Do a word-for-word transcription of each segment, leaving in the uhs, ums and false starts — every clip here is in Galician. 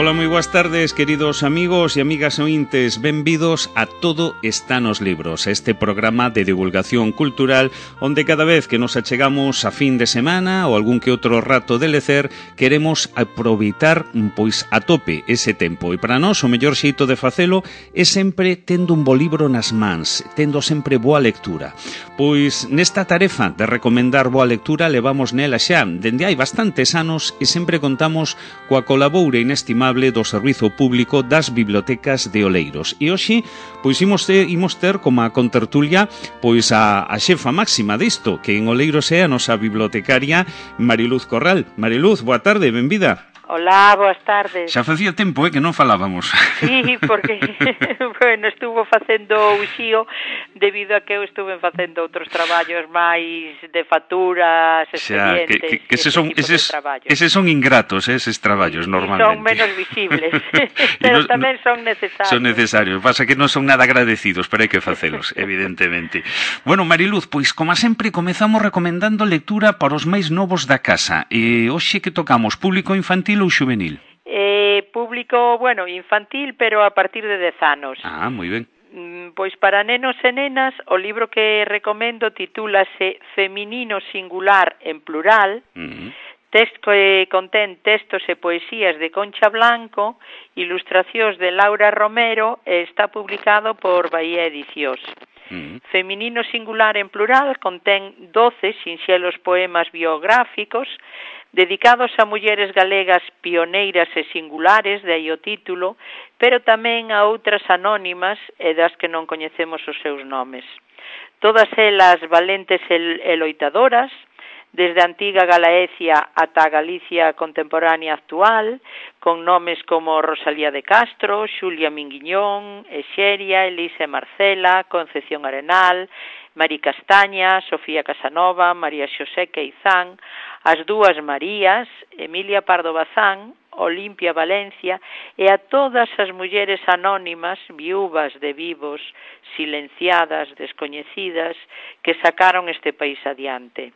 Ola, moi boas tardes, queridos amigos e amigas ointes. Benvidos a Todo está nos libros, este programa de divulgación cultural onde cada vez que nos achegamos a fin de semana ou algún que outro rato de lecer, queremos aproveitar pois a tope ese tempo. E para nós o mellor xeito de facelo é sempre tendo un bo libro nas mans, tendo sempre boa lectura. Pois nesta tarefa de recomendar boa lectura levamos nela xa dende hai bastantes anos e sempre contamos coa colaboura inestimable do Servizo Público das Bibliotecas de Oleiros. E hoxe, pois imos ter, imos ter como a contertulia pois a, a xefa máxima disto, que en Oleiros é a nosa bibliotecaria Mariluz Corral. Mariluz, boa tarde, benvida. Hola, boas tardes. Xa facía tempo, eh, que non falábamos. Sí, porque, bueno, estuvo facendo o xío debido a que eu estuve facendo outros traballos máis de facturas, expedientes, xa, que, que, que ese son, eses, eses son ingratos, eh, eses traballos, normalmente. Son menos visibles, pero no, tamén son necesarios. Son necesarios, pasa que non son nada agradecidos, pero hai que facelos, evidentemente. Bueno, Mariluz, pois, como sempre, comezamos recomendando lectura para os máis novos da casa. E hoxe que tocamos, público infantil ou xuvenil? Eh, público, bueno, infantil, pero a partir de dez anos. Ah, moi ben. Pois para nenos e nenas, o libro que recomendo titúlase Feminino Singular en Plural, uh-huh. Texto que contén textos e poesías de Concha Blanco, ilustracións de Laura Romero e está publicado por Bahía Edicións. Uh-huh. Feminino Singular en Plural contén doce sinxelos poemas biográficos dedicados a mulleres galegas pioneiras e singulares, de aí o título, pero tamén a outras anónimas e das que non coñecemos os seus nomes. Todas elas valentes e loitadoras, desde a antiga Galaecia ata a Galicia contemporánea actual, con nomes como Rosalía de Castro, Xulia Minguiñón, Exeria, Elisa Marcela, Concepción Arenal, Mari Castaña, Sofía Casanova, María Xosé Queizán, as dúas Marías, Emilia Pardo Bazán, Olimpia Valencia e a todas as mulleres anónimas, viúvas de vivos, silenciadas, descoñecidas, que sacaron este país adiante.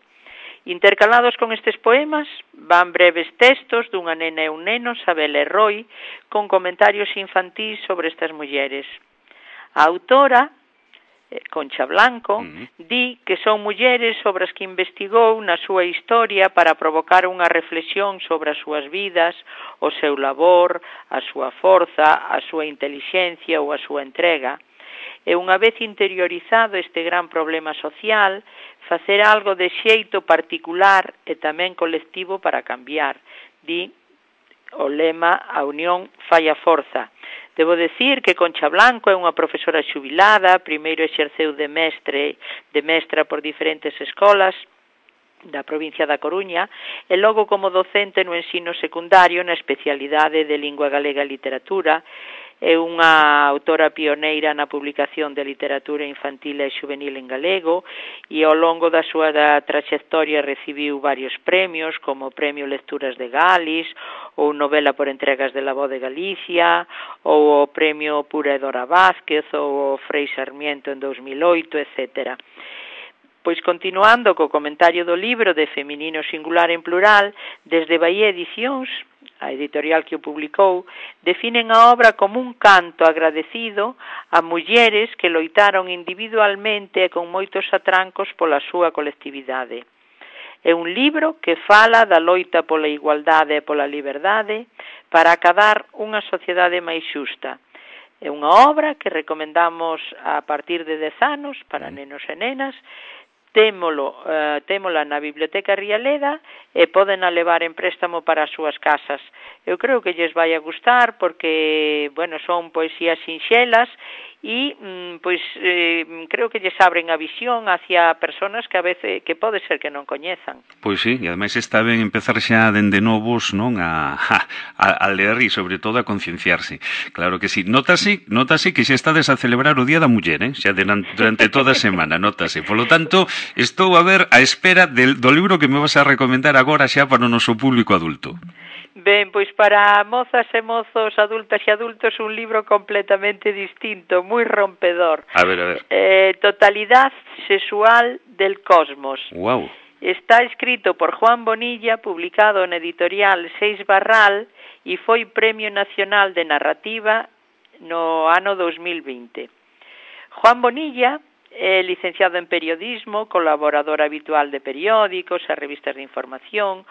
Intercalados con estes poemas, van breves textos dunha nena e un neno, Sabela e Roy, con comentarios infantís sobre estas mulleres. A autora, Concha Blanco, uh-huh. di que son mulleres sobre as que investigou na súa historia para provocar unha reflexión sobre as súas vidas, o seu labor, a súa forza, a súa intelixencia ou a súa entrega. E unha vez interiorizado este gran problema social, facer algo de xeito particular e tamén colectivo para cambiar. Di o lema A unión fai a forza. Debo decir que Concha Blanco é unha profesora xubilada, primeiro exerceu de mestre, de mestra por diferentes escolas da provincia da Coruña e logo como docente no ensino secundario na especialidade de Lingua Galega e Literatura. É unha autora pioneira na publicación de literatura infantil e xuvenil en galego e ao longo da súa da traxectoria recibiu varios premios como o Premio Lecturas de Galis ou Novela por Entregas de la Voz de Galicia ou o Premio Pura Edora Vázquez ou o Frei Sarmiento en dos mil oito, etcétera. Pois continuando co comentario do libro de Feminino Singular en Plural, desde Bahía Edicións, a editorial que o publicou, definen a obra como un canto agradecido a mulleres que loitaron individualmente e con moitos atrancos pola súa colectividade. É un libro que fala da loita pola igualdade e pola liberdade para acadar unha sociedade máis xusta. É unha obra que recomendamos a partir de dez anos para nenos e nenas. Témolo, uh, témola na Biblioteca Rialeda e poden a levar en préstamo para as súas casas. Eu creo que lles vai a gustar porque, bueno, son poesías sinxelas e, mm, pois, eh, creo que lles abren a visión hacia personas que a veces, que pode ser que non coñezan. Pois sí, e ademais está ben empezar xa dende novos, non, a, a, a ler e, sobre todo, a concienciarse. Claro que sí. Notase, notase que xa estades a celebrar o Día da Muller, eh? Xa durante toda a semana, notase. Por lo tanto, estou a ver a espera del, do libro que me vas a recomendar agora xa para o noso público adulto. Ben, pois para mozas e mozos, adultas e adultos, un libro completamente distinto, moi rompedor. A ver, a ver. Eh, Totalidad sexual del cosmos. Wow. está escrito por Juan Bonilla, publicado na editorial Seis Barral e foi Premio Nacional de Narrativa no ano dos mil vinte. Juan Bonilla é licenciado en periodismo, colaborador habitual de periódicos e revistas de información,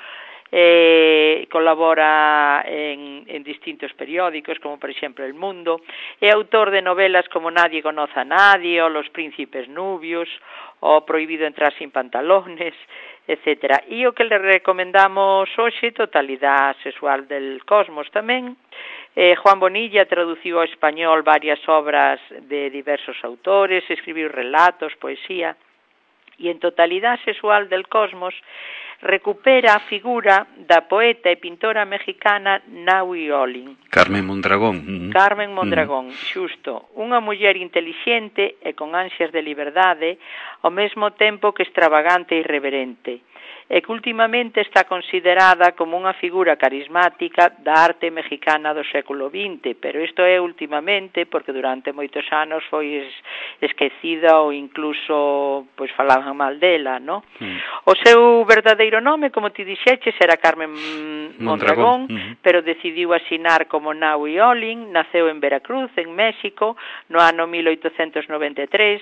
Eh, colabora en, en distintos periódicos, como por exemplo El Mundo, é autor de novelas como Nadie conoce a nadie, o Los príncipes nubios, o Prohibido entrar sin pantalones, etcétera. E o que le recomendamos hoxe, Totalidade sexual del cosmos tamén. Eh, Juan Bonilla traduciu ao español varias obras de diversos autores, escribiu relatos, poesía, e en Totalidade sexual del cosmos recupera a figura da poeta e pintora mexicana Nahui Olin. Carmen Mondragón. Carmen Mondragón, xusto. Unha muller intelixente e con ansias de liberdade, ao mesmo tempo que extravagante e irreverente, e que últimamente está considerada como unha figura carismática da arte mexicana do século vinte, pero isto é últimamente porque durante moitos anos foi esquecida ou incluso pois falaban mal dela, no? Mm. O seu verdadeiro nome, como ti dixeches, era Carmen Mondragón, mm. pero decidiu asinar como Nahui Olin. Naceu en Veracruz, en México, no ano mil oitocentos noventa e tres,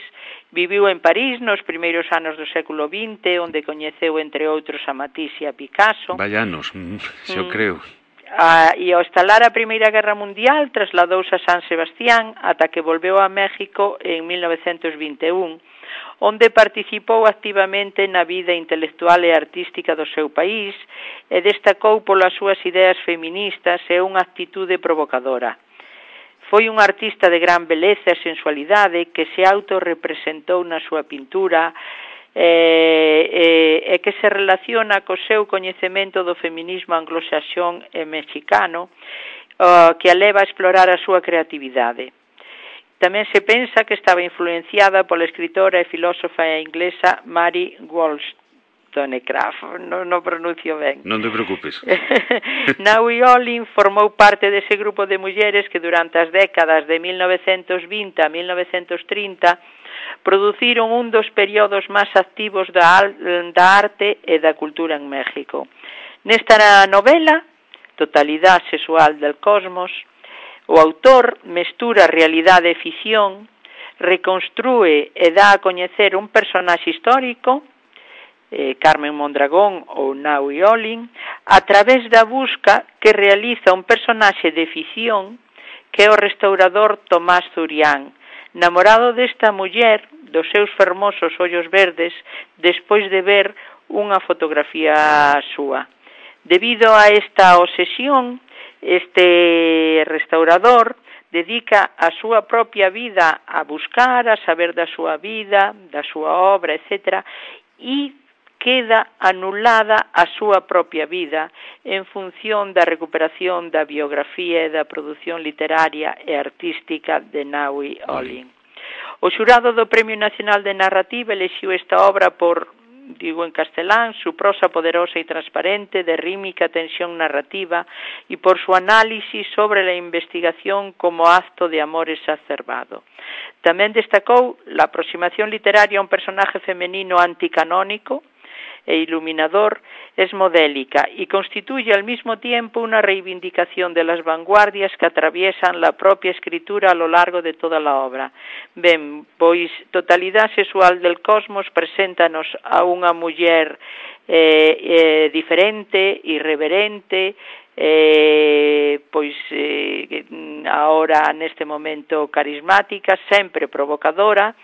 viviu en París nos primeiros anos do século vinte, onde coñeceu entre outros a Matisse e a Picasso. Vallanos, xo mm. creo. Ah, e ao estalar a Primeira Guerra Mundial trasladouse a San Sebastián ata que volveu a México en mil novecentos vinte e un, onde participou activamente na vida intelectual e artística do seu país e destacou polas súas ideas feministas e unha actitude provocadora. Foi un artista de gran beleza e sensualidade que se autorrepresentou na súa pintura e, e, e que se relaciona co seu coñecemento do feminismo anglosaxón e mexicano, uh, que a leva a explorar a súa creatividade. Tamén se pensa que estaba influenciada pola escritora e filósofa inglesa Mary Wollstonecraft, non no pronuncio ben. Non te preocupes. Nahui Olin formou parte dese grupo de mulleres que durante as décadas de mil novecentos vinte a mil novecentos trinta produciron un dos períodos máis activos da, da arte e da cultura en México. Nesta novela, Totalidade sexual del cosmos, o autor mestura realidade e ficción, reconstrúe e dá a coñecer un personaxe histórico, eh, Carmen Mondragón ou Nahui Olin, a través da busca que realiza un personaxe de ficción que é o restaurador Tomás Zurián, namorado desta muller dos seus fermosos ollos verdes despois de ver unha fotografía súa. Debido a esta obsesión, este restaurador dedica a súa propia vida a buscar, a saber da súa vida, da súa obra, etcétera, e queda anulada a súa propia vida en función da recuperación da biografía e da produción literaria e artística de Nahui Olin. O xurado do Premio Nacional de Narrativa elixiu esta obra por, digo en castelán, su prosa poderosa e transparente de rímica tensión narrativa e por su análisis sobre la investigación como acto de amor exacerbado. Tamén destacou la aproximación literaria a un personaje femenino anticanónico e iluminador, es modélica y constituye al mismo tiempo una reivindicación de las vanguardias que atraviesan la propia escritura a lo largo de toda la obra. Ben, pois Totalidade sexual del cosmos preséntanos a unha muller eh, eh, diferente, irreverente, eh, pois eh, ahora neste momento carismática, sempre provocadora,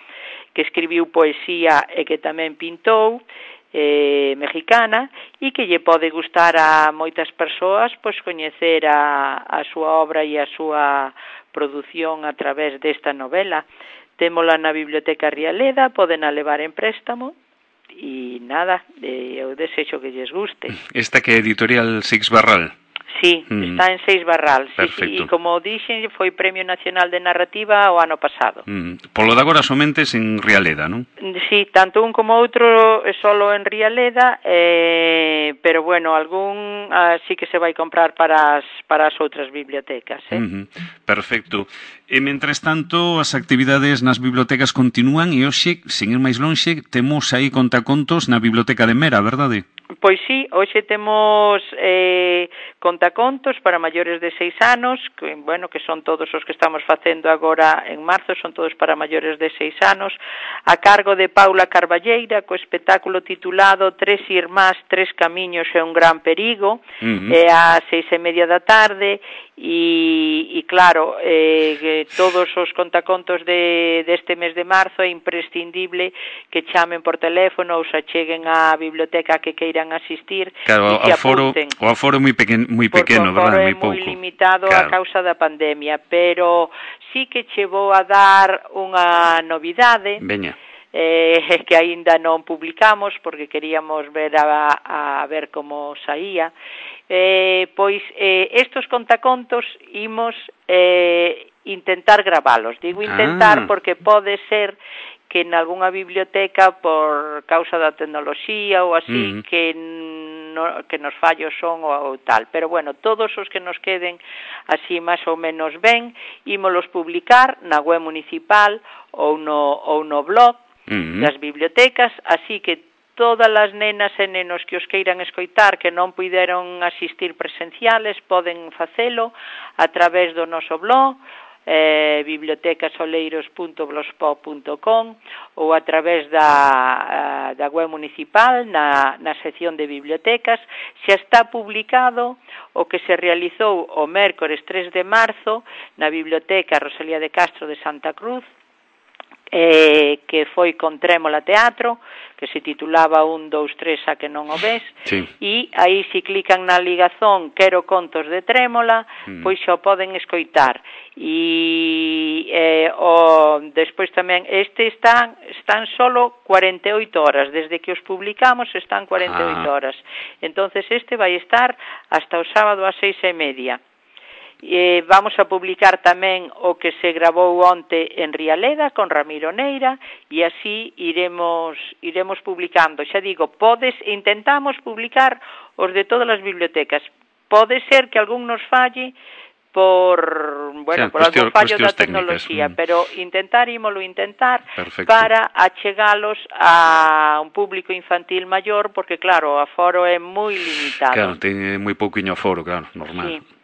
que escribiu poesía e que tamén pintou, Eh, mexicana, e que lle pode gustar a moitas persoas pois coñecer a, a súa obra e a súa produción a través desta novela. Témola na Biblioteca Rialeda, poden a levar en préstamo e nada, eh, eu desexo que lles guste. Esta que é editorial Seix Barral? Sí, mm. está en Seis Barral. Perfecto. Sí, sí, e como dixen, foi Premio Nacional de Narrativa o ano pasado. Mm. Polo de agora somente en Rialeda, non? Sí, tanto un como outro é solo en Rialeda, eh, pero bueno, algún ah, sí que se vai comprar para as, para as outras bibliotecas. Eh? Mm-hmm. Perfecto. E, mentres tanto, as actividades nas bibliotecas continúan e hoxe, sen ir máis lonxe, temos aí contacontos na Biblioteca de Mera, verdade? Pois sí, hoxe temos eh, contacontos para maiores de seis anos, que, bueno, que son todos os que estamos facendo agora en marzo, son todos para maiores de seis anos, a cargo de Paula Carballeira, co espectáculo titulado Tres irmás, tres camiños e un gran perigo, uh-huh. é a seis e media da tarde, e, e claro, eh, todos os contacontos de, deste mes de marzo é imprescindible que chamen por teléfono ou se acheguen á biblioteca que queiran asistir, claro, e se aforo, apunten. O aforo é moi pequeno, moi pequeno, verdad? Porque o aforo é moi limitado claro. a causa da pandemia, pero sí que che vou a dar unha novidade. Veña. Eh, que aínda non publicamos porque queríamos ver a, a ver como saía. Eh, pois eh, estos contacontos imos eh, intentar gravalos. Digo intentar ah. porque pode ser que en algunha biblioteca por causa da tecnoloxía ou así, uh-huh. que no, que nos fallos son ou, ou tal. Pero bueno, todos os que nos queden así máis ou menos ben, ímolos publicar na web municipal ou no, ou no blog uh-huh. das bibliotecas, así que todas as nenas e nenos que os queiran escoitar que non puideron asistir presenciales poden facelo a través do noso blog, eh, bibliotecasoleiros punto blogspot punto com ou a través da, da web municipal na, na sección de bibliotecas. Xa está publicado o que se realizou o mércores tres de marzo na Biblioteca Rosalía de Castro de Santa Cruz, eh, que foi con Trémola Teatro, que se titulaba un, dous, tres, a que non o ves, sí. E aí se clican na ligazón Quero contos de Trémola, mm. pois xa o poden escoitar. E eh, o, despois tamén, este están, están solo cuarenta e oito horas, desde que os publicamos están cuarenta e oito ah. horas. Entonces este vai estar hasta o sábado ás seis e media. Eh, vamos a publicar tamén o que se gravou onte en Rialeda con Ramiro Neira e así iremos iremos publicando. Xa digo, podes intentamos publicar os de todas as bibliotecas. Pode ser que algún nos falle por, bueno, sí, por cuestión, algún fallo da tecnoloxía, mm. pero intentar ímolo intentar Perfecto. Para achegalos a un público infantil maior, porque claro, o aforo é moi limitado. Claro, ten moi pouquiño aforo, claro, normal. Sí.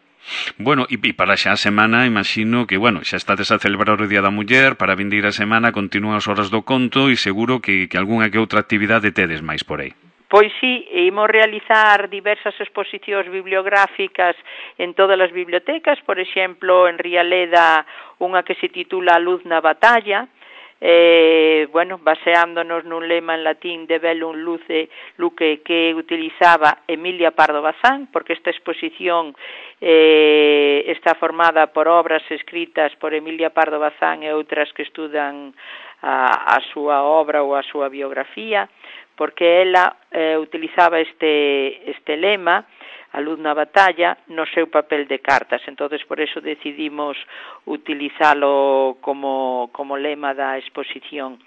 Bueno, e para xa a semana, imagino que, bueno, xa estades a celebrar o Día da Muller, para vindeira semana continúan as horas do conto e seguro que, que algunha que outra actividade tedes máis por aí. Pois sí, imos realizar diversas exposicións bibliográficas en todas as bibliotecas, por exemplo, en Rialeda, unha que se titula A luz na batalla, eh, bueno, baseándonos nun lema en latín de Bellum Luce Luque que utilizaba Emilia Pardo Bazán, porque esta exposición eh, está formada por obras escritas por Emilia Pardo Bazán e outras que estudan a, a súa obra ou a súa biografía, porque ela eh, utilizaba este, este lema, a luz na batalla, no seu papel de cartas. Entonces, por eso decidimos utilizalo como, como lema da exposición,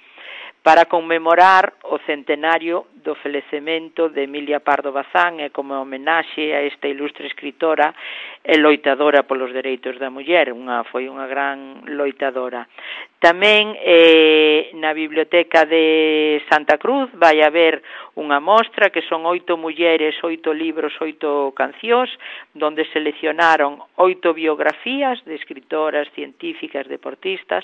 para conmemorar o centenario do falecemento de Emilia Pardo Bazán e como homenaxe a esta ilustre escritora e loitadora polos dereitos da muller, unha, foi unha gran loitadora. Tamén eh, na Biblioteca de Santa Cruz vai haber unha mostra que son oito mulleres, oito libros, oito cancións, donde seleccionaron oito biografías de escritoras, científicas, deportistas,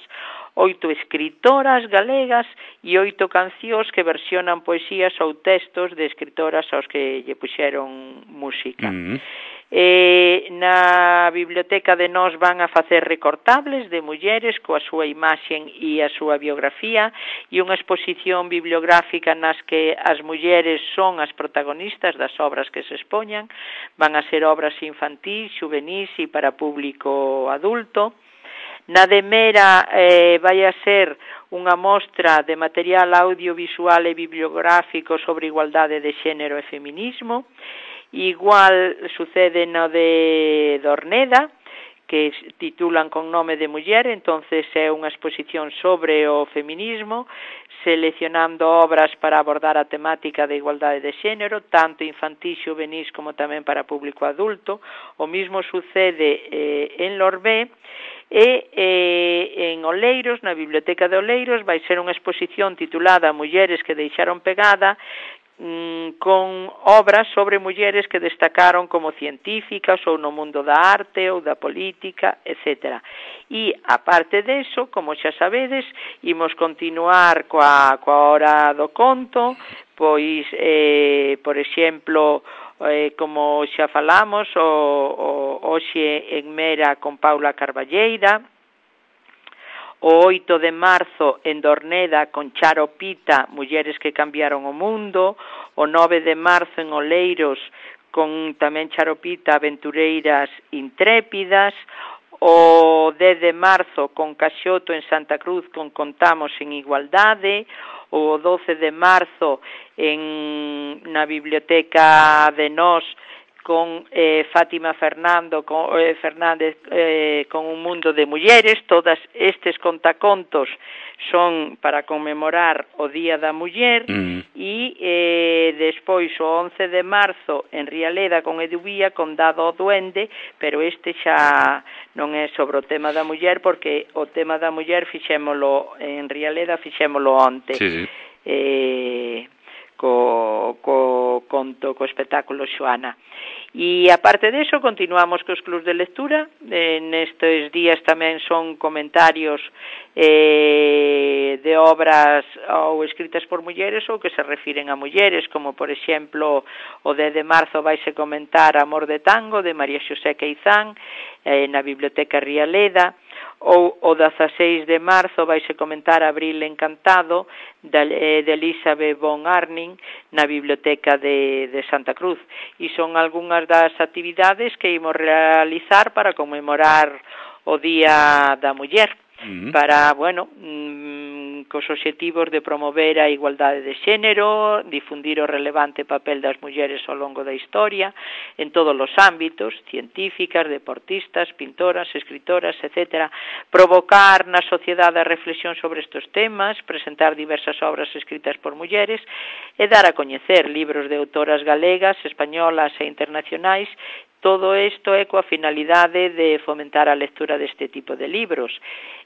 oito escritoras galegas e oito cancións que versionan poesías ou textos de escritoras aos que lle puxeron música. Mm-hmm. Eh, na Biblioteca de Nós van a facer recortables de mulleres coa súa imaxen e a súa biografía e unha exposición bibliográfica nas que as mulleres son as protagonistas das obras que se expoñan. Van a ser obras infantís, juvenís e para público adulto. Na de Mera eh, vai a ser unha mostra de material audiovisual e bibliográfico sobre igualdade de xénero e feminismo. Igual sucede no de Dorneda, que titulan con nome de muller, entonces é unha exposición sobre o feminismo, seleccionando obras para abordar a temática de igualdade de xénero, tanto infantil, xuvenís como tamén para público adulto. O mismo sucede eh, en Lorbé, e eh, en Oleiros, na Biblioteca de Oleiros, vai ser unha exposición titulada Mulleres que deixaron pegada, con obras sobre mulleres que destacaron como científicas ou no mundo da arte ou da política, etcétera. E, aparte deso, como xa sabedes, imos continuar coa, coa hora do conto, pois, eh, por exemplo, eh, como xa falamos, o, o, hoxe en Mera con Paula Carballeira, o oito de marzo en Dorneda con Charo Pita, Mulleres que cambiaron o mundo, o nove de marzo en Oleiros con tamén Charo Pita, Aventureiras intrépidas, o dez de marzo con Caxoto en Santa Cruz con Contamos en Igualdade, o doce de marzo en na Biblioteca de Nós con eh, Fátima Fernando con, eh, Fernández eh, con Un mundo de mulleres. Todas estes contacontos son para conmemorar o Día da Muller, mm. e eh, despois o once de marzo en Rialeda con Edubía con Dado o Duende, pero este xa non é sobre o tema da muller, porque o tema da muller fixémolo en Rialeda, fixémolo onte. Sí, sí. Eh, co, co conto, co espectáculo Xoana. E aparte deso, continuamos cos clubs de lectura. Eh, nestes días tamén son comentarios eh, de obras ou escritas por mulleres ou que se refiren a mulleres, como por exemplo o dez de marzo vaise comentar Amor de Tango de María Xosé Queizán eh, na Biblioteca Rialeda, ou o dezaseis de marzo vaise comentar Abril Encantado de, de Elizabeth von Arnim na Biblioteca de, de Santa Cruz, e son algunhas das actividades que imos realizar para conmemorar o Día da Muller, uh-huh. para, bueno, mmm, cos obxectivos de promover a igualdade de xénero, difundir o relevante papel das mulleres ao longo da historia, en todos os ámbitos, científicas, deportistas, pintoras, escritoras, etcétera, provocar na sociedade a reflexión sobre estes temas, presentar diversas obras escritas por mulleres e dar a coñecer libros de autoras galegas, españolas e internacionais. Todo isto é coa finalidade de fomentar a lectura deste tipo de libros,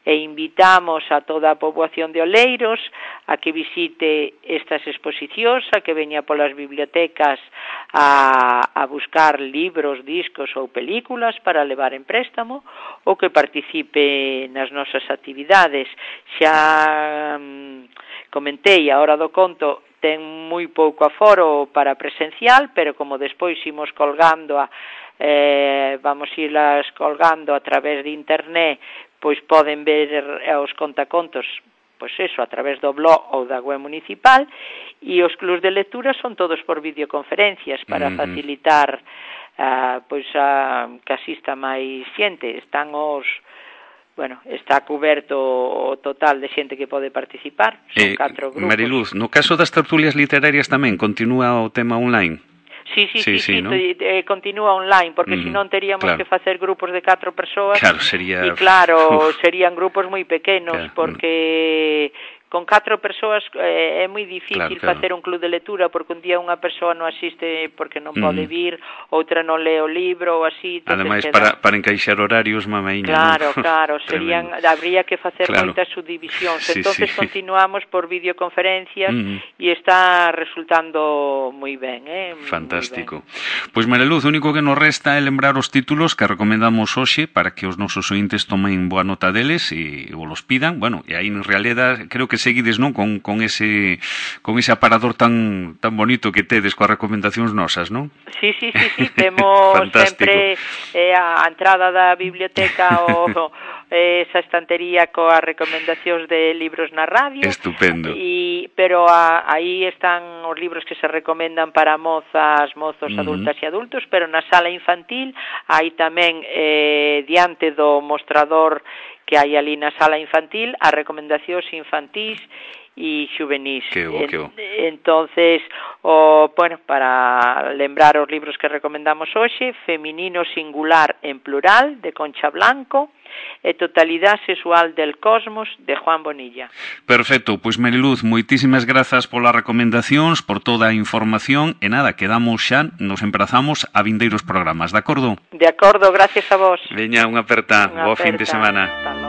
e invitamos a toda a poboación de Oleiros a que visite estas exposicións, a que veña polas bibliotecas a, a buscar libros, discos ou películas para levar en préstamo, ou que participe nas nosas actividades. Xa hum, comentei, a hora do conto ten moi pouco aforo para presencial, pero como despois imos colgando a Eh, vamos irlas colgando a través de internet, pois poden ver os contacontos, pois eso, a través do blog ou da web municipal, e os clubs de lectura son todos por videoconferencias para uh-huh. facilitar uh, pois a que asista máis xente. Están os Bueno, está cuberto o total de xente que pode participar, son eh, catro grupos. Mariluz, no caso das tertulias literarias tamén continúa o tema online? Sí, sí, sí, sí, sí, sí, ¿no? eh, continúa online, porque mm, senón teríamos claro. que facer grupos de catro persoas. Claro, sería... E claro, serían grupos moi pequenos, claro. porque con catro persoas eh, é moi difícil claro, claro. facer un club de lectura, porque un día unha persoa non asiste porque non mm. pode vir, outra non lee o libro, ou así. Ademais, para, para encaixar horarios, mamaíña. Claro, ¿no? claro, serían, habría que facer claro. moitas subdivisións. Sí, entonces sí. continuamos por videoconferencias mm. e está resultando moi ben, eh? Fantástico. Pois, pues, Mariluz, o único que nos resta é lembrar os títulos que recomendamos hoxe para que os nosos ointes tomen boa nota deles e o los pidan. Bueno, e aí en realidad creo que seguides, non, con, con ese con ese aparador tan tan bonito que tedes coas recomendacións nosas, non? Sí, sí, sí, sí, temos sempre eh, a entrada da biblioteca o esa estantería coas recomendacións de libros na radio. Estupendo. E pero a, aí están os libros que se recomendan para mozas, mozos, uh-huh. adultas e adultos, pero na sala infantil hai tamén eh, diante do mostrador que hai ali na sala infantil as recomendacións infantís e xuvenís. Que bo, que bo. Entonces, o, bueno, para lembrar os libros que recomendamos hoxe, Feminino singular en plural, de Concha Blanco, e Totalidade sexual del cosmos, de Juan Bonilla. Perfecto, pois Mariluz, moitísimas grazas polas recomendacións, por toda a información, e nada, quedamos xa, nos emprazamos a vindeiros programas, de acordo? De acordo, gracias a vos. Veña, unha aperta, Unha bo fin de aperta. semana. Hasta logo.